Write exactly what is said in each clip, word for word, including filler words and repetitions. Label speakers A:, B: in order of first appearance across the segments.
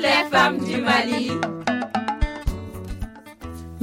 A: Les femmes du Mali.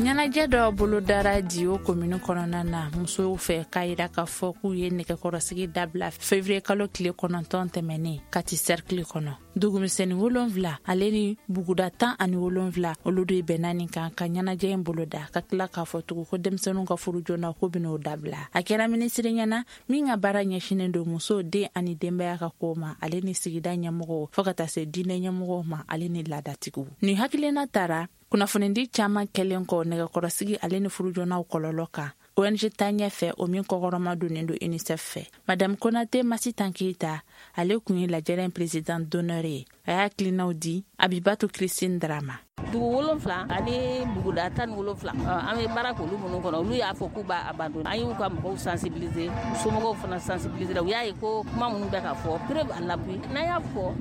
B: Ɲɛnajɛ dɔ bolodara Diyo komini kɔnɔna na musow fɛ, k'a yira k'a fɔ k'u ye nɛgɛkɔrɔsigi dabila fevrier kalo tile kɔnɔntɔn tɛmɛnen Kati cercle kɔnɔ. Dugumisɛnnin wolonfila ale ni buguda tan ani wolonfila, olu de bɛnna nin kan ka ɲɛnajɛ in boloda, ka tila k'a fɔ tugun ko denmisɛnninw ka furu joona ko bɛn'o dabila. A kɛra minisiri ɲɛna min ka baara ɲɛsinen don muso, den ani denbaya ka kow ma, ale ni sigida ɲɛmɔgɔw, fɔɔ ka taa se diinɛ ɲɛmɔgɔw ma, ale ni laadatigiw. Nin hakilina tara kunnafonidi caaman kɛlen kɔ nɛgɛkɔrɔsigi ale ni furujonaw kɔlɔlɔ kan O N G ta ɲɛfɛ, o min kɔkɔrɔma donnen don UNICEF fɛ. Madame Konate Masitan Keyita, ale kun ye lajɛrɛ président d'honneur ye. A y'a hakilinaw di Abibatu Christine Drama.
C: Dugu wolonfila ani buguda tan ni wolonfila, an bɛ baara k'olu minnu kɔnɔ, olu y'a fɔ k'u b'a abandonner. An y'u ka mɔgɔw sensibiliser, somɔgɔw fana sensibiliser. U y'a ye ko kuma minnu bɛ ka fɔ, preuve à l'appui, n'an y'a fɔ,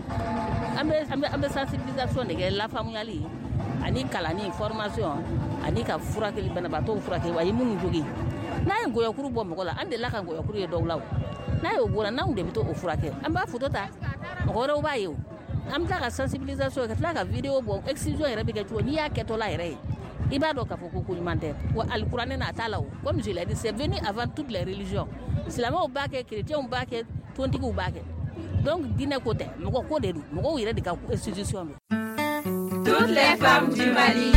C: an bɛ an bɛ an bɛ sensibilisation de kɛ, lafaamuyali ani kalanni, formation, ani ka furakɛli, banabaatɔw furakɛ. A ye minnu jogin, n'a ye ngɔyɔkuru bɔ mɔgɔ la, an delila ka ngɔyɔkuru ye dɔw la. O n'a y'o bɔra, n'anw de bɛ to o furakɛ, an b'a photo ta, mɔgɔ wɛrɛw b'a ye. O an bɛ tila ka sensibilisation, ka tila ka vidéo bɔ, excision yɛrɛ bɛ kɛ cogo, n'i y'a kɛtɔla yɛrɛ ye, i b'a dɔn k'a fɔ ko ko ɲuman tɛ wa. Alikuranɛ na, a t'a la. O comme je l'ai dit, c'est venu avant toutes les religions. Silamɛw b'a kɛ, chrétiens b'a kɛ, tontigiw b'a kɛ. Donc diinɛ ko tɛ, mɔgɔ ko de don, mɔgɔw yɛrɛ de ka institution don.
A: Toutes les femmes du Mali.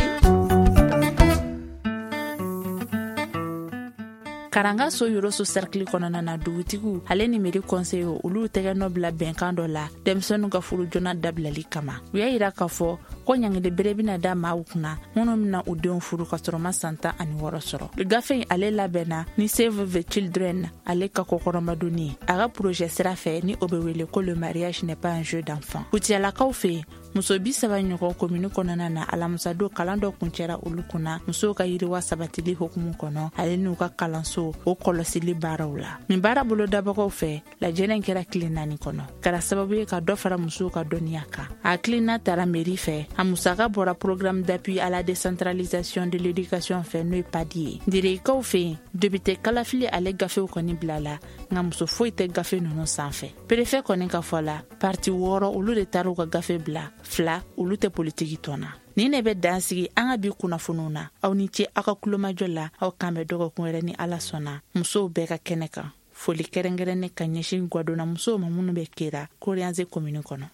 B: Karanga so Yoroso cercle kɔnɔna na, dugutigiw ale ni mairie conseil, olu tɛgɛ nɔ bila bɛnkan dɔ la denmisɛnninw ka furu joona dabilali kama. U y'a yira k'a fɔ ko ɲangili bere bɛna da maaw kunna minnu bɛna u denw furu ka sɔrɔ ma san tan ani wɔɔrɔ sɔrɔ. Gafe in, ale labɛnna ni Save the Children ale ka kɔkɔrɔmadonni ye, a ka projet sira fɛ ni o bɛ wele ko "Le mariage n'est pas un jeu d'enfant". Kutiyalakaw fɛ yen, muso bi saba ɲɔgɔn komini kɔnɔna na, alamisadon kalan dɔ kuncɛra olu kunna musow ka yiriwa sabatili hukumu kɔnɔ, ale n'u ka kalanso o kɔlɔsili baaraw la. Nin baara bolodabagaw fɛ, lajɛrɛ kɛra tile naani kɔnɔ, kɛra sababu ye ka dɔ fara musow ka dɔnniya kan. A hakilina tara mairie fɛ, a musaka bɔra Programme d'appui à la décentralisation de l'éducation fɛ, n'o ye PADI ye. Derekaw fɛ yen, député kalafili ale gafew kɔni bila la, nka muso foyi tɛ gafe ninnu sanfɛ. Préfet kɔni ka fɔ la, parti wɔɔrɔ, olu de taar'u ka gafe bila, fila, olu tɛ politiki tɔn na. Nin de bɛ dan sigi an ka bi kunnafoniw na. Aw ni ce aw ka kulomajɔ la. Aw kan bɛ dɔgɔkun wɛrɛ ni Ala sɔnna, musow bɛɛ ka kɛnɛ kan. Foli kɛrɛnkɛrɛnnen ka ɲɛsin gwadonna musow ma minnu bɛ Kera Koriyanze komini kɔnɔ.